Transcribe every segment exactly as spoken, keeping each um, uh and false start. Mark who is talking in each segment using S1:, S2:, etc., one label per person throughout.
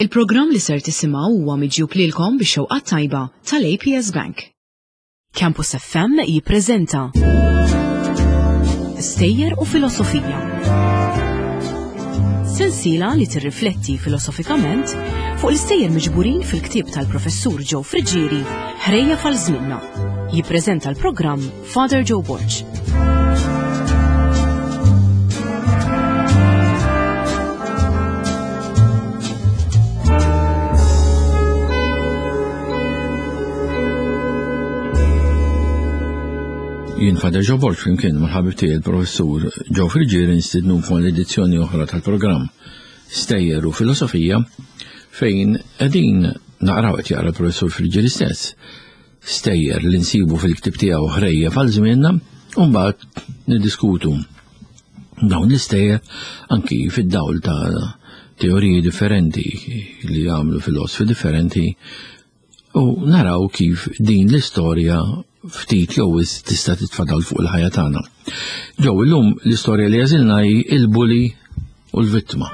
S1: Il-programm li ser tisimgħu huwa miġjub lilkom bix-xewqa tajba tal-A P S Bank. Campus F M jippreżenta Stejjer u Filosofija. Sensiela li tirrifletti filosofikament fuq l-istejjer miġburin fil-ktieb tal-professur Joe Friggieri, Ħrejjef għal Żmienna. Jippreżenta l-programm Father Joe Borg.
S2: Jien Father Joe Borg flimkien mal-ħabib tiegħi il-professur Joe Friggieri nistidnukom l-edizzjoni oħra tal-programm Stejjer u Filosofija, fejn qegħdin naqraw, qed jaqra l-professur Friggieri stess, stejjer li nsibu fil-ktieb tiegħu Ħrejjef għal Żmienna, u mbagħad niddiskutu dawn l-istejjer anki fid-dawl ta' teoriji differenti li għamlu filosofi differenti u naraw kif din l-istorja ftit jew wisq tista' titfa' dawl fuq il-ħajja tagħna. Joe, illum l-istorja li għażilna hi il-bully u l-vittma.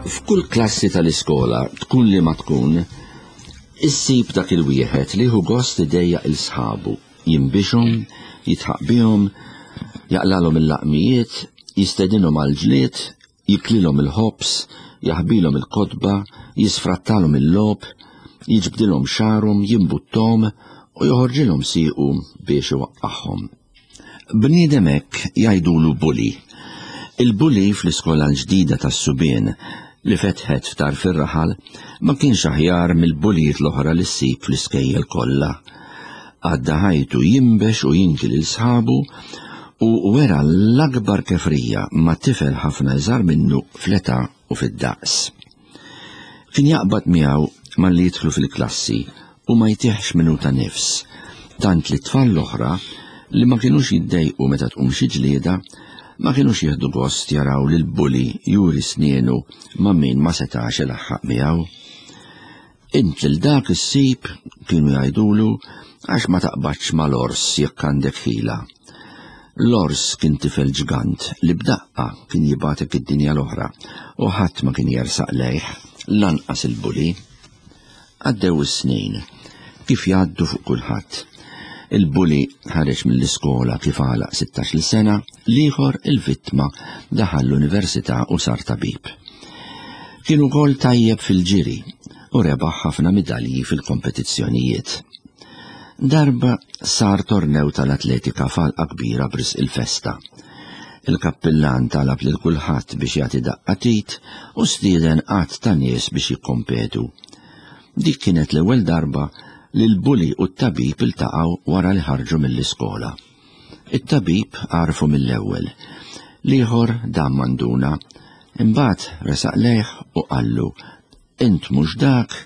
S3: F'kull klassi tal-iskola, tkun li ma tkun, issib dak il-wieħed li hu gost idejjaq lil sħabu, jinbixhom, jidħaq bihom, jaqlalhom il-laqmijiet, jistedinhom għal-ġlied, jiklilhom il-ħobż, jaħbilhom il-kotba, jisfrattalhom il-logħob, jiġbdilhom xagħarhom, jimbuttom u joħorġilhom siequ biex iwaqqagħhom. Bniedem hekk jgħidulu bully. Il-bully fl-iskola l-ġdida tas-subien li fetħet f'tarf ir-raħal ma kienx aħjar mill-bulijiet l-oħra li ssib fl-iskejjel kollha. Għadda ħajtu jinbex u jinki lil sħabu u wera l-akbar kefrija ma' tifel ħafna iżgħar minnu fl-età u fid-daqs. Kien jaqbad miegħu malli jidħlu fil-klassi u ma jtihx minuta nifs, tant li tfal l-oħra li ma kienux jiddejqu meta tqum xi ġlieda ma kienux jieħdu gost jaraw lil bully juri snienu ma' min ma setax ilaħħaq miegħu. "Int lil dak issib," kienu jgħidulu, "għax ma taqbadx mal-ors jekk għandek ħila." L-ors kien tifel ġgant li b'daqqa kien jibgħatek id-dinja l-oħra u ħadd ma kien jersaq lejh, lanqas il-bully. Għaddew is-snin, kif jgħaddu fuq kulħadd. Il-bully ħareġ mill-iskola kif għalaq sittax-il sena, l-ieħor, il-vittma, daħal l-università u sar tabib. Kien ukoll tajjeb fil-ġiri u rebaħ ħafna midalji fil-kompetizzjonijiet. Darba sar tornew tal-atletika f'għalqa kbira b'risq il-festa. Il-kappillan talab lil kulħadd biex jagħti daqqa t'id u stieden għadd ta' nies biex jikkompetu. Dik kienet l-ewwel darba li l-bully u t-tabib iltaqgħu wara li ħarġu mill-iskola. It-tabib għarfu mill-ewwel. L-ieħor dam ma nduna, imbagħad resaq lejh u qallu: "Int mhux dak?"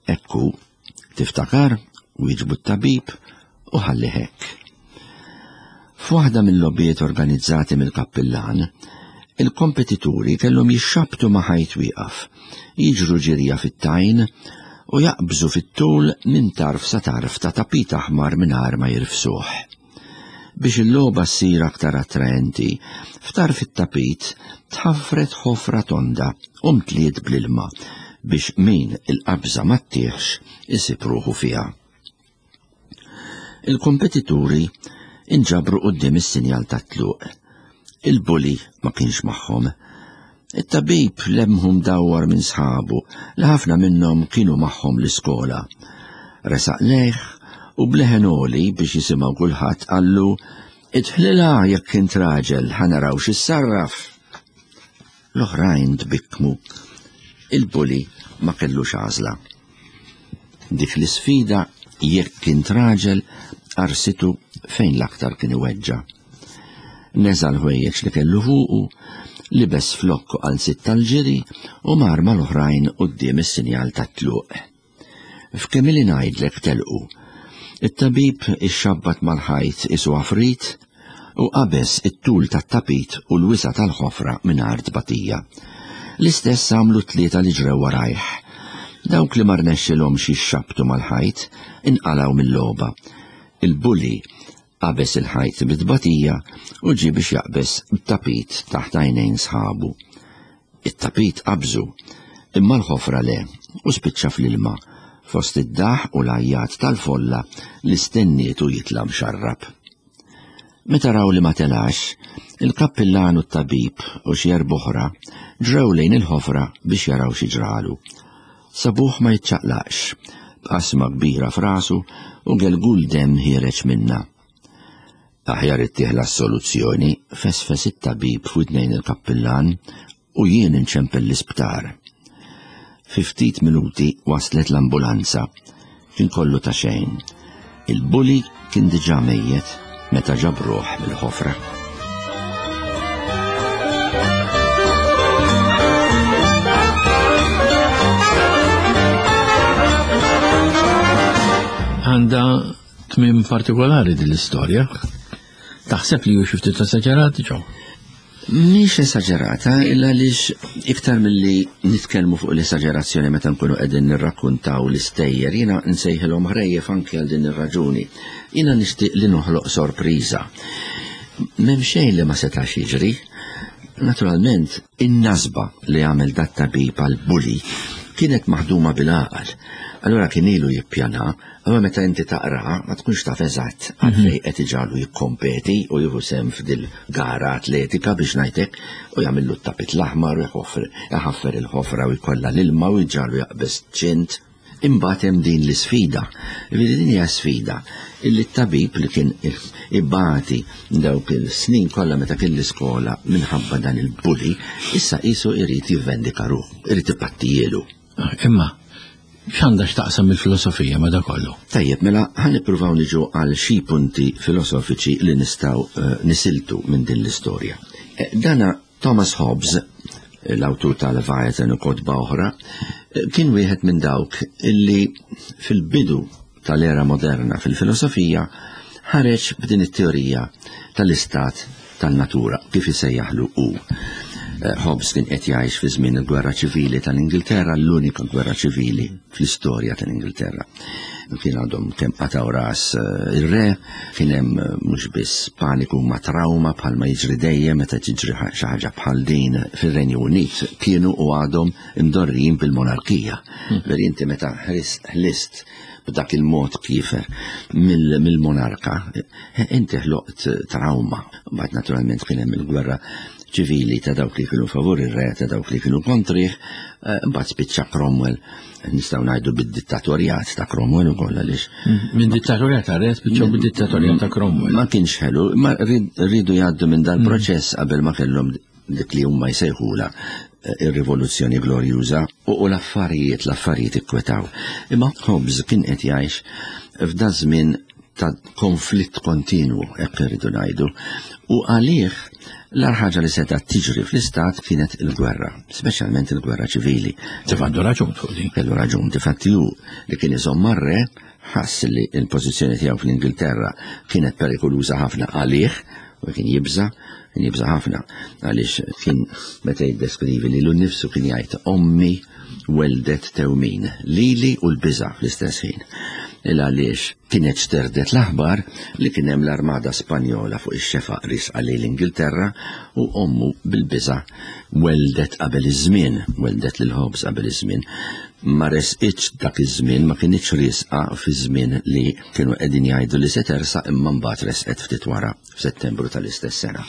S3: "Ekku, tiftakar?" wieġbu t-tabib u ħalli hekk. F'waħda mill-logħbiet organizzati mill-kappillan, il-kompetituri kellhom jixxabtu ma' ħajt wieqaf, jiġru ġirja fit-tajn u jaqbżu fit-tul minn tarf sa tarf ta' tapit aħmar mingħajr ma jirfsuh. Biex il-logħba ssir aktar attraenti, f'tarf it-tapit tħaffret ħofra tonda u mtliet bl-ilma biex min il-qabża ma ttihx isib ruħu fiha. Il-kompetituri inġabru quddiem is-sinjal tat-tluq. Il-bully ma kienx magħhom. It-tabib lemħu mdawwar minn sħabu li ħafna minnhom kienu magħhom l-iskola. Resaq lejh u b'leħen għoli biex jisimgħu kulħadd qallu: "Idħlilha jekk int raġel, ħa naraw x'issarraf." L-oħrajn tbikkmu. Il-bully ma kellux għażla. Dik l-isfida "jekk int raġel" qarsitu fejn l-aktar kien iweġġa'. Neża' l-ħwejjeġ li kellu fuqu, libes flokk u qalziet tal-ġiri u mar mal-oħrajn quddiem is-sinjal tat-tluq. F'kemm ili ngħidlek telqu. It-tabib ixxabbat mal-ħajt qisu għafrit u qabeż it-tul tat-tapit u l-wisa' tal-ħofra mingħajr tbatija. L-istess għamlu tlieta li ġrew warajh. Dawk li ma rnexxilhomx jixxabtu mal-ħajt inqalgħu mill-logħba. Il-bully Qabeż il-ħajt bit-tbatija u ġie biex jaqbeż it-tapit taħt għajnejn sħabu. It-tapit qabżu, imma l-ħofra le, u spiċċa fl-ilma, fost id-daħ u l-għajjat tal-folla li stennietu jitla' mxarrab. Meta raw li ma telax, il-kappillan u t-tabib u xi erb'oħra ġrew lejn il-ħofra biex jaraw xi ġralu. Sabuh ma jiċċaqlaqx, b'qasma kbira f'rasu u gelgul demm ħiereġ minnha. Aħjar ittih l-assoluzzjoni, fesfes it-tabib f'widnejn il-kappillan u jien inċempel l-isptar. Fi ftit minuti waslet l-ambulanza. Kien kollu ta' xejn. Il-bully kien diġà mejjet meta ġabruh mill-ħofra.
S2: Għandha tmiem partikolari din l-istorja. Taħseb li hu xi ftit esaġerat, Joe?
S3: Mhix esaġerata, illa għaliex iktar milli nitkellmu fuq l-esaġerazzjoni meta nkunu qegħdin nirrakkuntaw l-istejjer, jiena nsejħilhom ħrejjef anke għal din ir-raġuni. Jiena nixtieq li noħloq sorpriża. M'hemm xejn li ma setax jiġri. Naturalment, in-nasba li għamel dat-tabib għall-bully kienet maħduma bil-għaqal. Allura kien ilu jippjana, imma meta inti taqra ma tkunx taf eżatt għalfejn qed iġagħlu jikkompeti u jieħu sehem f'dil gara atletika biex ngħidlek u jagħmillu t-tapit l-aħmar u jħaffer il-ħofra u jkollha l-ilma u jġagħlu jaqbeż ċint. Imbagħad hemm din l-isfida. Jiġifieri din hija sfida illi t-tabib li kien ibati dawk il-snin kollha meta kien l-iskola minħabba dan il-bully, issa qisu jrid jivvendika ruħu, irid ipattijielu.
S2: Imma x'għandha x'taqsam il-filosofija ma' dak kollu?
S3: Tajjeb, mela ħa nippruvaw niġu għal xi punti filosofiċi li nistgħu nisiltu minn din l-istorja. Dana Thomas Hobbes, l-awtur tal-Leviathan u kotba oħra, kien wieħed minn dawk illi fil-bidu tal-era moderna fil-filosofija ħareġ b'din it-teorija tal-istat tan-natura, kif isejjaħlu hu. Hobbes kien qed jgħix fi żmien il-Gwerra Ċivili tal-Ingilterra, l-unika gwerra ċivili fl-istorja tal-Ingilterra. Kien għadhom kemm qataw ras ir-re, kien hemm mhux biss paniku ma' trauma bħalma jiġri dejjem meta tiġri xi ħaġa bħal din fir-Renju Unit, kienu u għadhom imdorrijin bil-monarkija. Ver inti meta ħlist b'dak il-mod kif mill-monarka, inti ħloqt trauma. Mbagħad naturalment kien hemm il-gwerra ċivili ta' dawk li kienu favur ir-re, ta' dawk li kienu kontrih, mbagħad spiċċa Cromwell, nistgħu ngħidu bid-dittatorjat ta' Cromwell ukoll għaliex.
S2: Minn dittatorjat ta' re spiċċaw bid-dittatorjat ta' Cromwell.
S3: Ma kienx ħelu, ma rridu jgħaddu minn dal-proċess qabel ma kellhom dik li huma jsejħula ir-rivoluzzjoni glorjuża u l-affarijiet, l-affarijiet ikkwetaw. Imma Hobbes kien qed jgħix f'da żmien ta' konflitt kontinwu, hekk irridu ngħidu, u għalih l-agħar ħaġa li setgħet tiġri fl-istat kienet il-gwerra, speċjalment il-gwerra ċivili.
S2: Kif għandu raġun fuq din?
S3: Kellu raġun, difatti hu li kien iżomm mar-re, ħass li l-pożizzjoni tiegħu fl-Ingilterra kienet perikoluża ħafna għalih, u kien jibża, kien jibża ħafna, għaliex kien meta jiddeskrivi lilu nnifsu kien jgħid ommi weldet tewmin, lili u l-biża fl-istess ħin. Il għaliex kienet xterdet l-aħbar li kien hemm l-armada Spanjola fuq ix-xefaq risqa lejn l-Ingilterra u ommu bil-biża weldet qabel iż-żmien, weldet lil Hobbes qabel iż-żmien. Ma resqitx dak iż-żmien, ma kinitx risqa fi żmien li kienu qegħdin jgħidu li se tersaq, imma mbagħad resqet ftit wara f'Settembru tal-istess sena.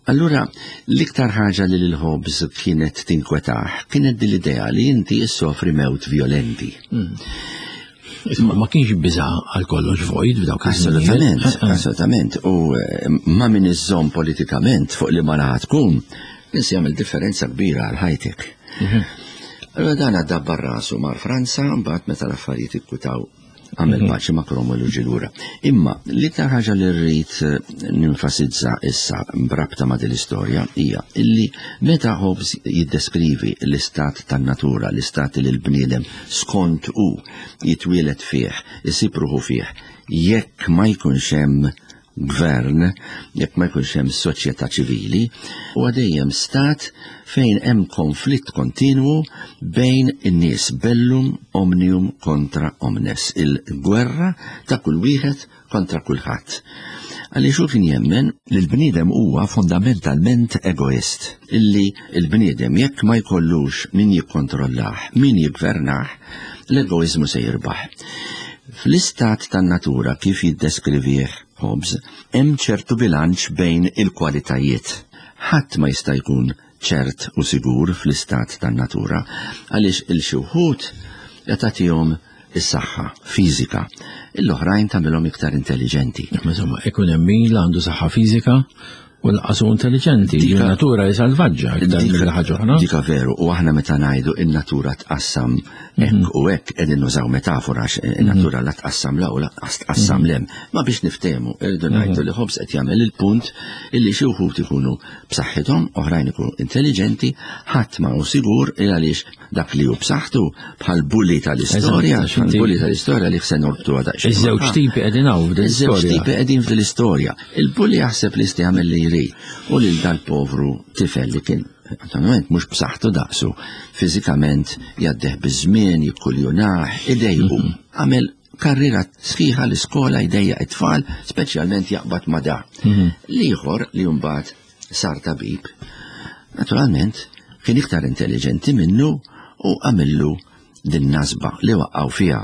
S3: Allura, l-iktar ħaġa li lil Hobbes kienet tinkwetah kienet din l-idea li inti issofri mewt violenti.
S2: Isma, ma kienx biża' għal kollox vojt f'dawk iż-żminijiet.
S3: Assolutament, assolutament. U ma min iżżomm politikament fuq li ma naħa tkun, kien se jagħmel differenza kbira għal ħajtek. Allura dan għadda rasu mar Franza, mbagħad meta l-affarijiet ikkwitaw għamel paċi ma' Cromwell u ġie lura. Imma l-iktar ħaġa li rrid ninfasizza issa b'rabta ma' din l-istorja hija illi meta Hobbes jiddeskrivi l-istat tan-natura, l-istat li l-bniedem skont hu jitwielet fih, isib ruħu fih, jekk ma jkunx hemm gvern, jekk ma jkunx hemm soċjetà ċivili, huwa dejjem stat fejn hemm konflitt kontinwu bejn in-nies, bellum omnium kontra omnes, il-gwerra ta' kull wieħed kontra kulħadd. Għaliex hu kien jemmen li l-bniedem huwa fondamentalment egoist, illi l-bniedem jekk ma jkollux min jikkontrollah, min jiggvernah, l-egoizmu se jirbaħ. Fl-istat tan-natura kif jiddeskrivih Hobbes, hemm ċertu bilanċ bejn il-kwalitajiet. Ħadd ma jista' jkun ċert u sigur fl-istat tan-natura, għaliex il-xi wħud jagħtihom is-saħħa fiżika, l-oħrajn tagħmilhom iktar intelligenti.
S2: Insomma, ikun hemm min għandu saħħa fiżika u lanqas hu intelligenti, natura hi salvaġġa iktar mill ħaġa oħra.
S3: Dika veru, u aħna meta ngħidu in-natura tqassam hekk u hekk qegħdin nużaw metafora għax in-natura la tqassam la u lanqas tqassam lem. Ma biex niftehmu, irridu ngħidu li Hobbes qed jagħmel il-punt illi xi wħud ikunu b'saħħithom, oħrajn ikunu intelligenti, ħadd ma hu sigur il għaliex dak li hu b'saħħtu bħal bulli tal-istorja, bħal bulli tal-istorja li se norbtu daqsxejn.
S2: Iż-żewġ tipi qegħdin hawn f'din
S3: Iż-żewġ tipi qegħdin f'din l-istorja. Il-bulli jaħseb li jista' jagħmel li jrid u lil dal-povru tifel li kien naturalment mhux b'saħħtu daqsu, fiżikament jgħaddih biż-żmien, jikkuljunah, idejqu. Għamel karriera sħiħa l-iskola jdejjaq it-tfal, speċjalment jaqbad ma' da. L-ieħor li mbagħad sar tabib, naturalment kien iktar intelligenti minnu u għamillu din nasba li waqqaw fiha.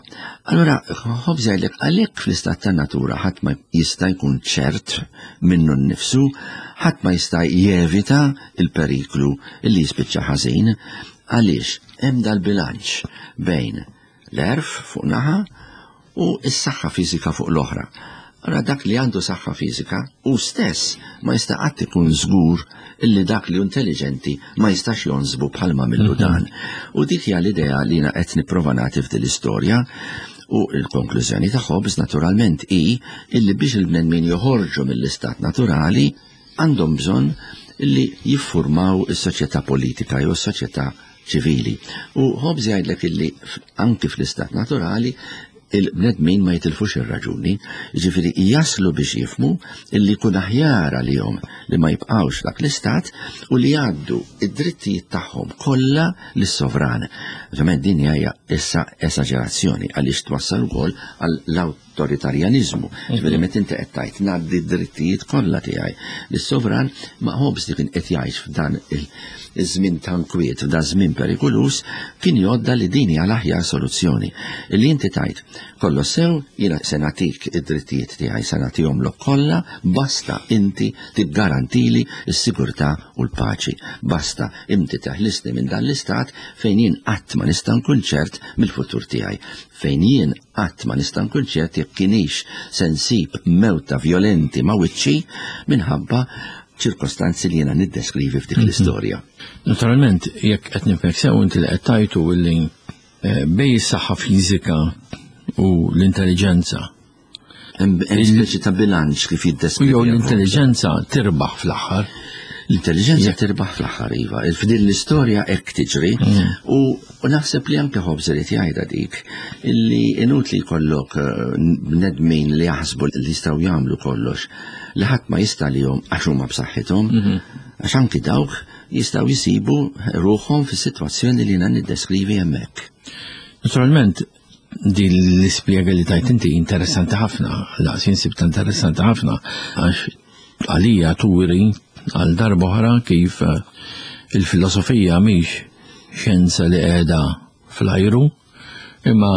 S3: Allora, Hobbes jgħidlek għalhekk fl-istat ta' natura ħadd ma jista' jkun ċert minnu nnifsu, ħadd ma jista' jevita il-periklu li jispiċċa ħażin, għaliex hemm dal-bilanċ bejn l-għerf fuq naħa u s-saħħa fiżika fuq l-oħra. Allora dak li għandu saħħa fiżika u stess ma jista' qatt ikun żgur illi dak li intelligenti ma jistax jonżbu bħalma millu dan. U dik hija l-idea li jiena qed nipprova nagħti f'din l-istorja, u l-konklużjoni ta' Hobbes naturalment hi illi biex il-bnedmin joħorġu mill-istat naturali għandhom bżonn illi jiffurmaw is-soċjetà politika jew is-soċjetà ċivili. U Hobbes jgħidlek illi anki fl-istat naturali il-bnedmin ma jitilfux ir-raġuni, ġifieri jaslu biex jifmu illi jkun aħjar għalihom li ma jibqgħux dak l-istat u li jgħaddu id-drittijiet tagħhom kollha lis-sovran. Ovvjament din hija issa esaġerazzjoni għaliex twassal ukoll għall-awtoritarjaniżmu. Ġifieri meta inti qed tgħid ngħaddi d-drittijiet kollha tiegħi lis-sovran, ma Hobbes li kien qed jgħix f'dan iż-żmien ta' nkwiet, f'dan żmien perikolus, kien jgħodda li din hija l-aħjar soluzzjoni. Illi inti tgħid kollox sew, jiena se nagħtik id-drittijiet tiegħi, se nagħtihomlok kollha, basta inti tiggarantili s-sigurtà u l-paċi. Basta inti teħlisni minn dan l-istat fejn jien qatt ma nista' nkun ċert mill-futur tiegħi, fejn jien qatt ma nista' nkun ċert jekk kienix se nsib mewta vjolenti ma' wiċċi minħabba ċirkostanzi li jiena niddeskrivi f'dik l-istorja.
S2: Naturalment, jekk qed nifhmek sew inti li qed tajtu illi bej is-saħħa fiżika u l-intelligenza.
S3: Hemm speċi ta' bilanċ kif jiddeskrivi.
S2: Jew l-intelligenza tirbaħ fl-aħħar.
S3: L-intelligenza tirbaħ fl-aħħar, iva. F'din l-istorja hekk tiġri u naħseb li anke Hobbes irid jgħidha dik illi inutli jkollok bnedmin li jaħsbu li jistgħu jagħmlu kollox li ħadd ma jista' lihom għax huma b'saħħithom, għax anki dawk jistgħu jsibu ruħhom fis-sitwazzjoni li jiena niddeskrivi hemmhekk.
S2: Naturalment, din l-ispjega li tajt inti interessanti ħafna, laqs insibta interessanti ħafna, għax għalija turi għal darba oħra kif il-filosofija mhix xjenza li qiegħda fl-ajru, imma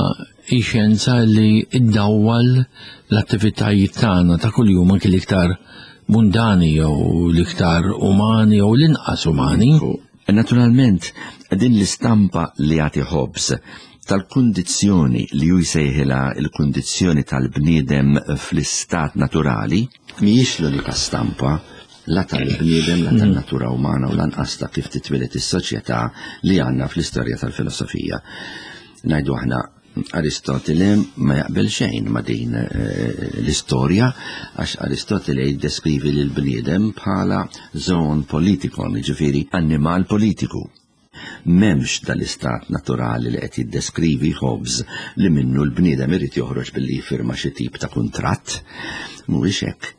S2: hi xjenza li iddawwal l-attivitajiet tagħna ta' kuljum anki l-iktar mundani jew l-iktar umani jew l-inqas umani.
S3: Naturalment, din l-istampa li jagħti Hobbes tal-kundizzjoni li hu jsejħilha l-kundizzjoni tal-bniedem fl-istat naturali mhijiex l-unika stampa la tal-bniedem, la tal-natura umana u lanqas ta' kif titwieled is-soċjetà li għandna fl-istorja tal-filosofija. Ngħidu aħna Aristotele ma jaqbel xejn ma din l-istorja, għax Aristotele jiddeskrivi lil bniedem bħala zoon politikon, jiġifieri annimal politiku. M'hemmx dal-istat naturali li qed jiddeskrivi Hobbes li minnu l-bniedem irid joħroġ billi jifirma xi tip ta' kuntratt. Mhuwiex hekk.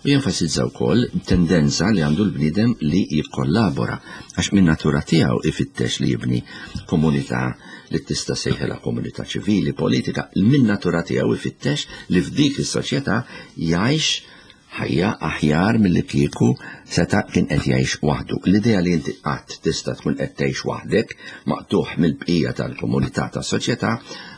S3: U jenfasizza wkoll tendenza li għandu l-bniedem li jikkollabora, għax minn natura tiegħu ifittex li jibni komunità li tista' sejħilha komunità ċivili, politika, minn natura tiegħu ifittex li f'dik is-soċjetà jgħix ħajja aħjar milli kieku seta' kien qed jgħix waħdu. L-idea li inti qatt tista' tkun qed tgħix waħdek, maqtuħ mill-bqija tal-komunità tas-soċjetà,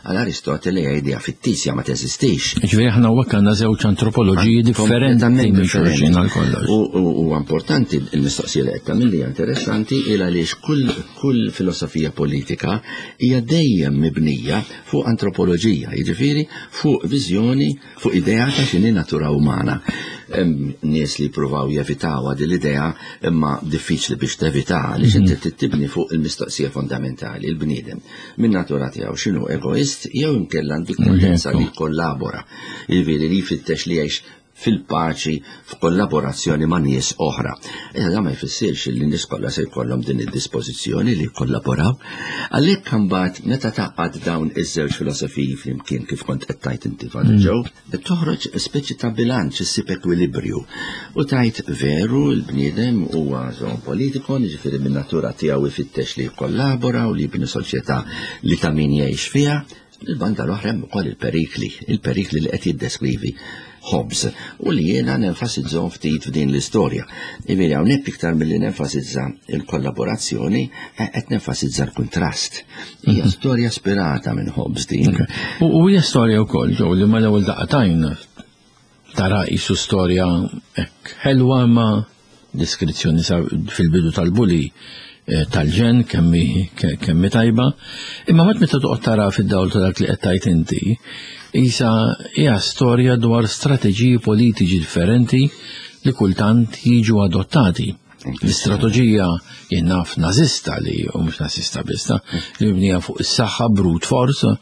S3: għal Aristotele hija idea fittizja, ma teżistix.
S2: Ġifieri aħna hawnhekk għandna żewġ antropoloġiji differenti minn xulxin għal kollox.
S3: U importanti l-mistoqsija li qed tagħmel hija interessanti il għaliex kull kull filosofija politika hija dejjem mibnija fuq antropoloġija, jiġifieri fuq viżjoni, fuq idea ta' x'inhi natura umana. Hemm nies li jippruvaw jevitawha din l-idea, imma diffiċli biex tevita għaliex inti trid tibni fuq il-mistoqsija fondamentali, il-bniedem min natura tiegħu x'inhu, egoist jew inkella għandu tendenza li jkollabora, jiġifieri li jfittex li jgħix fil-paċi f'kollaborazzjoni ma' nies oħra. Issa dan ma jfissirx li n-nies kollha se jkollhom din id-dispożizzjoni li jkollaboraw. Għalhekk imbagħad meta taqgħad dawn iż-żewġ filosofiji flimkien kif kont qed tgħid inti Father Joe, toħroġ speċi ta' bilanċ, issib ekwilibrju. U tgħid veru l-bniedem huwa żon politiko, jiġifieri min natura tiegħu ifittex li jkollabora u li jibni soċjetà li ta' min jgħix fiha. Il-banda l-oħra hemm ukoll il-perikli, il-perikli li qed jiddeskrivi Hobbes u li jiena nenfasizzhom ftit f'din l-istorja. Jiġifieri hawnhekk iktar milli nenfasizza il-kollaborazzjoni, qed nenfasizza l-kuntrast. Hija mhm. storja spirata minn Hobbes din.
S2: U hija storja wkoll ġew li mal-ewwel daqatajn tara qisu storja hekk ħelwa ma deskrizzjoni fil-bidu tal-bully tal-ġen kemmi kemmi tajba, imma mat meta toqgħod tara fid-dawl ta' dak li qed tgħid inti, isa hija storja dwar strateġiji politiċi differenti li kultant jiġu adottati. L-istrateġija jien naf nażista li u mhux nażista biss, li mibnija fuq is-saħħa brute force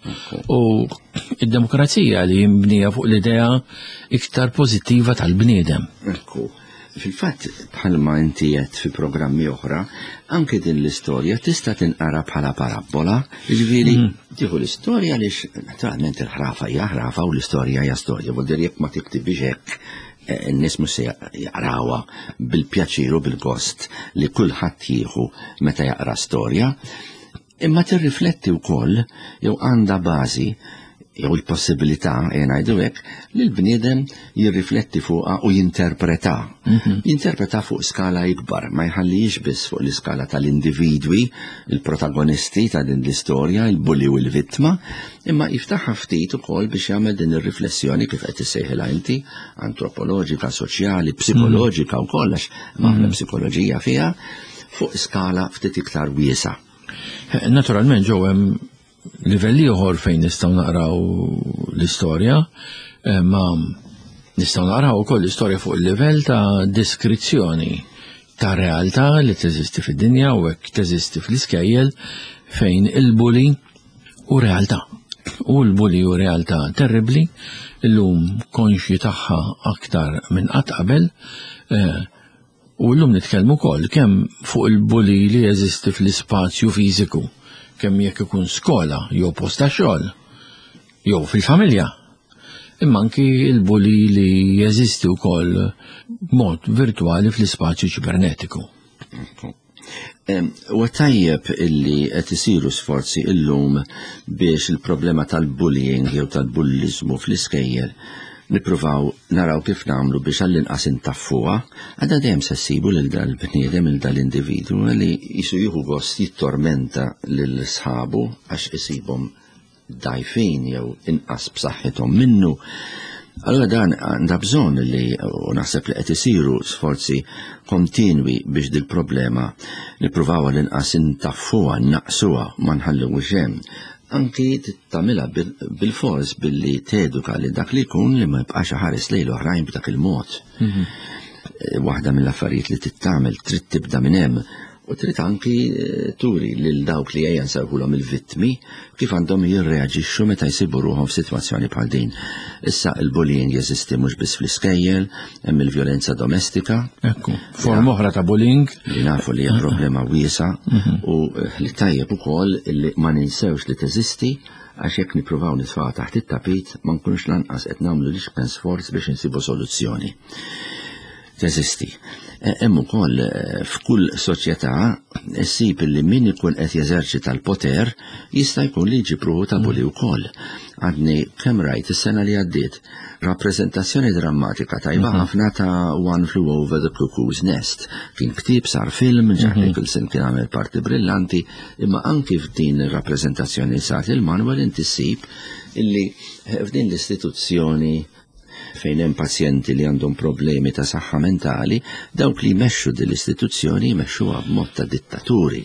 S2: u id-demokrazija li mibnija fuq l-idea iktar pożittiva tal-bniedem.
S3: Ekku. Fil-fatt, bħalma inti qed fi programmi oħra, anke din l-istorja tista' tinqara bħala parabola, jiġifieri tieħu l-istorja għaliex naturalment il-ħrafa hija ħrafa u l-istorja hija storja, vuol dire jekk ma tiktibix hekk n-nies mhux se jaqrawha bil-pjaċir u bil-gost li kulħadd jieħu meta jaqra storja, imma tirrifletti wkoll jew għandha bażi jew il-possibilità, jien ngħidu hekk, li l-bniedem jirrifletti fuqha u jinterpreta. Jinterpreta fuq skala ikbar, ma jħallix biss fuq l-iskala tal-individwi, il-protagonisti ta' din l-istorja, il-bulli u l-vittma, imma jiftaħha ftit ukoll biex jagħmel din ir-riflessjoni kif qed issejħilha inti, antropoloġika, soċjali, psikoloġika wkoll, għax aħna psikoloġija fiha, fuq skala ftit iktar wiesa.
S2: Naturalment ġew hemm livelli ieħor fejn nistgħu naqraw l-istorja, ma nistgħu naqraw ukoll l-istorja fuq il-livell ta' deskrizzjoni ta' realtà li teżisti fid-dinja u hekk teżisti fl-iskejjel fejn il-bully u realtà. U l-bully u realtà terribli, illum konxji tagħha aktar minn qatt qabel, u llum nitkellmu wkoll kemm fuq il-bully li jeżisti fl-ispazju fiżiku, kemm jekk ikun skola jew post ta' xogħol jew fil-familja. Imma anki il-bully li jeżisti wkoll b'mod virtwali fl-ispazju ċibernetiku.
S3: Huwa tajjeb illi qed isiru sforzi illum biex il-problema tal-bullying jew tal-bulliżmu fl-iskejjel nippruvaw naraw kif nagħmlu biex għall-inqas intaffuha, għadha dejjem se ssibu lil dal-bniedem, lil dal-individwu li jisu jieħu gost jittormenta lil sħabu għax isibhom dajfin jew inqas b'saħħithom minnu. Allora dan għandha bżonn li, u naħseb li qed isiru sforzi kontinwi biex dil-problema nippruvaw għall-inqas intaffuha, naqsuha, ma nħalluhiex hemm. Anki tagħmilha bil-fors billi teduka li dak li jkun li ma jibqax ħares lejn l-oħrajn b'dak il-mod. Waħda mill-affarijiet li tittamel trid tibda minn hemm U trid anki turi lil dawk li ejja nsejħulhom il-vittmi kif għandhom jirreaġixxu meta jsibu ruħhom f'sitwazzjoni bħal din. Issa il-bullying jeżisti mhux biss fl-iskejjel, hemm il-vjolenza domestika.
S2: Ekku, forma oħra ta' bullying.
S3: Li nafu li hija problema wiesgħa u li tajjeb ukoll li ma ninsewx li teżisti, għax jekk nippruvaw nitfgħuha taħt it-tapit ma nkunux lanqas qed nagħmlu l-iċken sforz biex insibu soluzzjoni. Teżisti. Hemm ukoll f'kull soċjetà ssib li min ikun qed jeżerċita l-poter jista' jkun li jġib ruħu ta' bully wkoll. Għadni kemm rajt is-sena li għaddiet rappreżentazzjoni drammatika tajba ħafna ta' One Flew Over the Cuckoo's Nest. Kien ktieb, sar film, Jack Nicholson kien għamel parti brillanti, imma anki f'din ir-rappreżentazzjoni sar il-Manuel inti ssib illi f'din l-istituzzjoni fejn hemm pazjenti li għandhom problemi ta' saħħa mentali, dawk li jmexxu din l-istituzzjoni jmexxuha b'mod ta' dittaturi.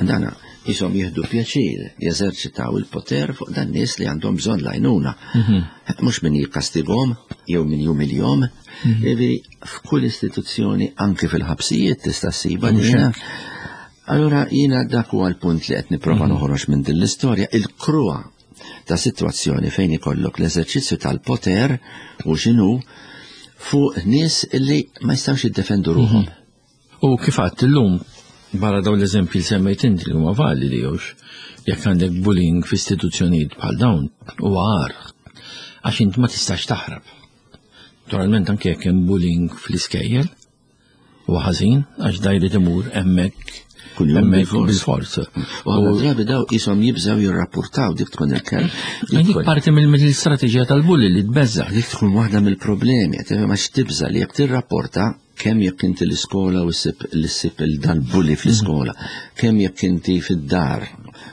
S3: Dana jisom jieħdu pjaċir jeżerċitaw il-poter fuq dan nies li għandhom bżonn l-għajnuna. Mhux min jikkastigahom jew min jumiljahom. Jiġifieri f'kull istituzzjoni, anke fil-ħabsijiet tista' ssibha dina. Allura jiena dak huwa l-punt li qed nipprova noħroġ minn din l-istorja, il-kruha ta' situazzjoni fejn ikollok l-eżerċizzju tal-poter u x'inhu fuq nies illi ma jistgħux jiddefendu ruħhom.
S2: U kif għedt illum, barra dawn l-eżempji li semmejt inti li huma validi jewx, jekk għandek bullying f'istituzzjonijiet bħal dawn, huwa agħar, għax int ma tistax taħrab. Naturalment anke jekk hemm bullying fl-iskejjel, huwa ħażin għax da jrid imur hemmhekk
S3: Kuljum
S2: hemmhekk
S3: bil-fors.
S2: bil-fors.
S3: U ħafna drabi daw qishom jibżgħu jirrapportaw, dik tkun il-kelm.
S2: Dik parti mill-istrateġija tal-bully li tbeżża.
S3: Dik tkun waħda mill-problemi, qed għax tibża li jekk tirrapporta, kemm jekk inti l-iskola u ssib l-ssib il-dal-bully fl-iskola, kemm jekk inti fid-dar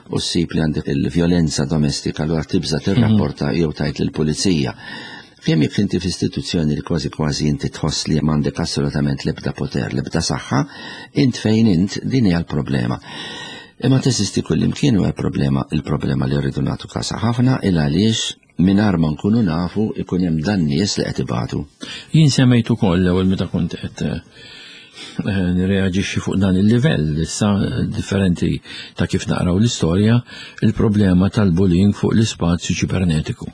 S3: u ssib li għandek il-vjolenza domestika, allura tibża tirrapporta jew tgħid lill-pulizija. Kemm jekk inti f'istituzzjoni li kważi kważi inti tħoss li m'għandek assolutament l-ebda poter, l-ebda saħħa, int fejn int, din hija l-problema. Imma teżisti kullimkien u problema, il-problema li rridu nagħtu kasa ħafna il għaliex mingħajr ma nkunu nafu ikun hemm dan nies li qed ibatu.
S2: Jien semmejt ukoll l-ewwel meta kont qed eh, nirreaġixxi fuq dan il-livell issa differenti ta' kif naqraw l-istorja, il-problema tal-bullying fuq l-ispazju ċibernetiku.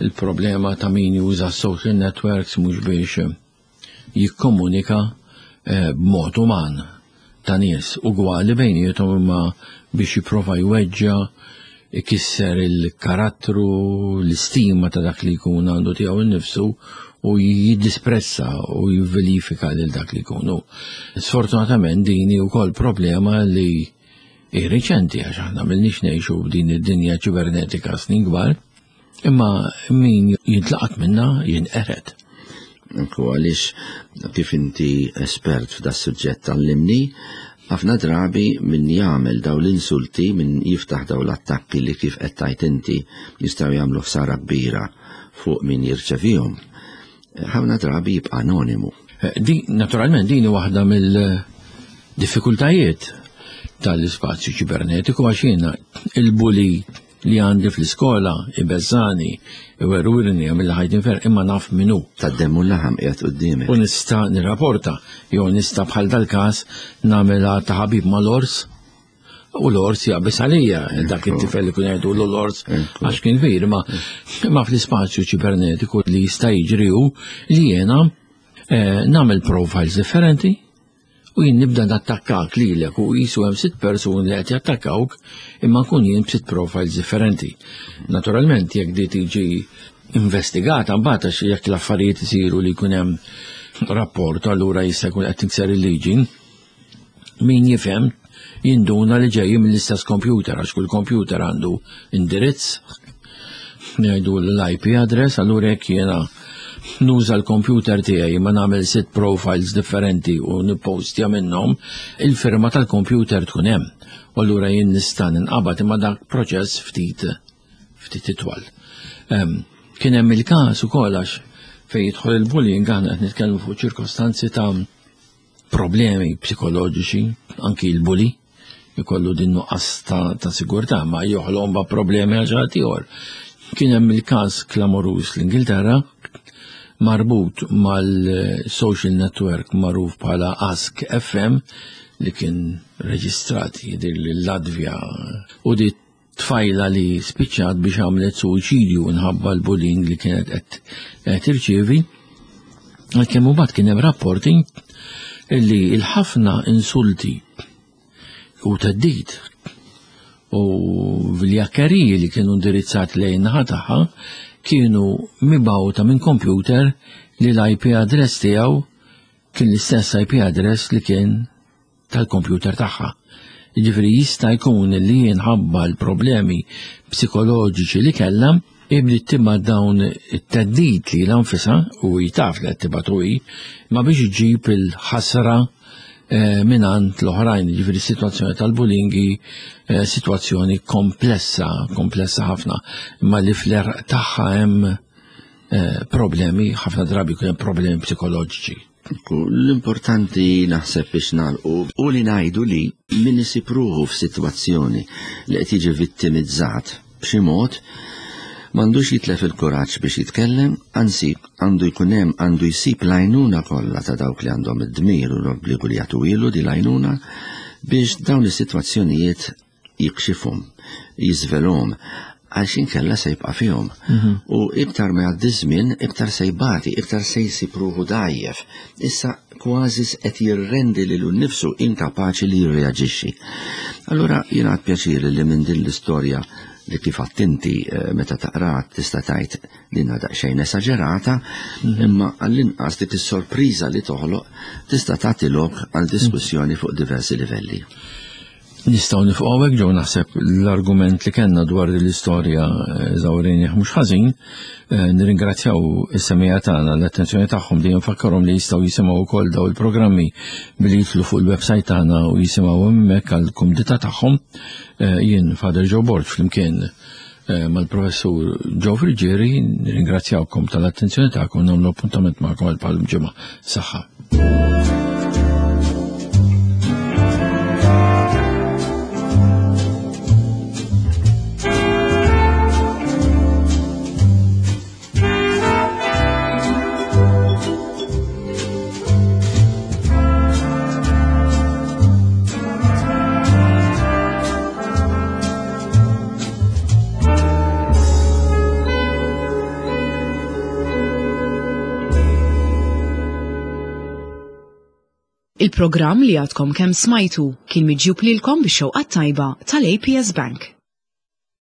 S2: Il-problema ta' min juża social networks mhux biex jikkomunika eh, b'mod uman ta' nies ugwali bejniethom, imma biex jipprova jweġġa', ikisser il-karattru, l-istima ta' dak li jkun għandu tiegħu innifsu u jiddisprezza u jivvilifika lil dak li jkunu. Sfortunatament din hi wkoll problema li hi riċenti, għax aħna m'ilniex ngħixu b'din id-dinja ċibernetika snin kbar, imma min jintlaqat minna jinqered.
S3: Anku għaliex kif inti espert f'da suġġett tal-limni, ħafna drabi min jagħmel daw l-insulti, min jiftaħ daw l-attakki li kif qed tgħid inti jistgħu jagħmlu ħsara kbira fuq min jirċevihom, ħafna drabi jibqa' anonimu.
S2: Eh, di, naturalment din waħda mill-diffikultajiet tal-ispazju ċibernetiku, għax jiena il-bully li għandi fl-iskola ibeżżani, iwerwirni, għamilli ħajti infern, imma naf min hu.
S3: Tad-demm u l-laħam qiegħed quddiemek.
S2: U nista' nirrapporta, jew nista' bħal dal-każ nagħmilha ta' ħabib mal-ors, u l-ors jaqbis għalija, dak it-tifel li kun jgħidu l-ors għax kien kbir, ma, ma fl-ispazju ċibernetiku li jista' jiġri hu li jiena eh, nagħmel profiles differenti u jien nibda nattakkak lilek u qisu hemm sitt persuni li qed jattakkawk, imma nkun jien b'sitt profiles differenti. Naturalment jekk di tiġi investigata mbagħad, għax jekk l-affarijiet isiru li jkun hemm rapport, allura jista' jkun qed tikser il-liġi. Min jifhem jinduna li ġej mill-istess computer, għax kull computer għandu indirizz, ngħidu l-I P address, allura jekk jiena nuża l-computer tiegħi ma nagħmel sitt profiles differenti u nippostja minnhom, il-firma tal-computer tkun hemm. U allura jien nista' ninqabad, imma dak proċess ftit ftit itwal. Em, Kien hemm il-każ ukoll, għax fejn jidħol il-bullying aħna qed nitkellmu fuq ċirkostanzi ta' problemi psikoloġiċi, anki il-bully jkollu din nuqqas ta', ta' sigurtà, ma joħloq ba' problemi għal ħadd ieħor. Kien hemm il-każ klamoruż l-Ingilterra marbut mal-social network magħruf bħala Ask F M. li kien reġistrat jidher l-Latvja u di tfajla li spiċċat biex għamlet suwiċidju nħabba l-bullying li kienet qed tirċievi. Għalkemm imbagħad kien hemm rapporti li l-ħafna insulti u theddid u viljakkeriji li kienu indirizzati lejn naħa tagħha kienu mibgħuta minn computer li l-I P address tiegħu kien l-istess I P address li kien tal-computer tagħha. Jiġifieri jista' jkun li jinħabba l-problemi psikoloġiċi li kellha ibli tibgħat dawn it-theddid li l-anfisa u jtaf li qed tibgħatu hi, ma biex iġib il-ħasra eh, mingħand l-oħrajn. Jiġifieri situazzjoni tal-bullying eh, situazzjoni komplessa, komplessa ħafna, imma li fl-għerq tagħha hemm eh, problemi, ħafna drabi jkun hemm problemi psikoloġiċi.
S3: L-importanti naħseb biex nagħlqu u li ngħidu li min isib ruħu f'sitwazzjoni li qed jiġi vittimizzat b'xi mod m'għandux jitlef il-kuraġġ biex jitkellem, anzi għandu jkun hemm, għandu jsib l-għajnuna kollha ta' dawk li għandhom id-dmir u l-obbligu li jagħtu ilu di l-għajnuna biex dawn is-sitwazzjonijiet jikxifhom, jiżvelhom, għax inkella se jibqa' fihom. U iktar ma jgħaddi żmien, iktar se jbati, iktar se jsib ruħu dgħajjef. Issa kważi qed jirrendi lilu nnifsu inkapaċi li jirreaġixxi. Allura jiena għad pjaċir li minn din l-istorja li kif attenti eh, meta taqra tista' tgħid li daqsxejn esaġerata, imma għall-inqas dik is-sorpriża li toħloq tista' tagħti lok għal diskussjoni fuq diversi livelli.
S2: Nistgħu nieqfu hawnhekk ġew, naħseb l-argument li kellna dwar l-istorja eżawrejnieh mhux ħażin. Eh, nirringrazzjaw is-semmiegħa tagħna l-attenzjoni tagħhom, dejjem fakkarhom li jistgħu jisimgħu wkoll daw il-programmi billi jidħlu fuq il-website tagħna u jisimgħu hemmhekk għall-kumdità tagħhom. Eh, jien Father Joe Borg flimkien eh, mal-professur Joe Friggieri nirringrazzjawkom tal-attenzjoni tagħkom, nagħmlu appuntament magħkom għal bħal ġimgħa. Saħħa.
S1: Il-programm li għadkom kemm smajtu kien miġjub lilkom bix-xewqa tajba tal-A P S Bank.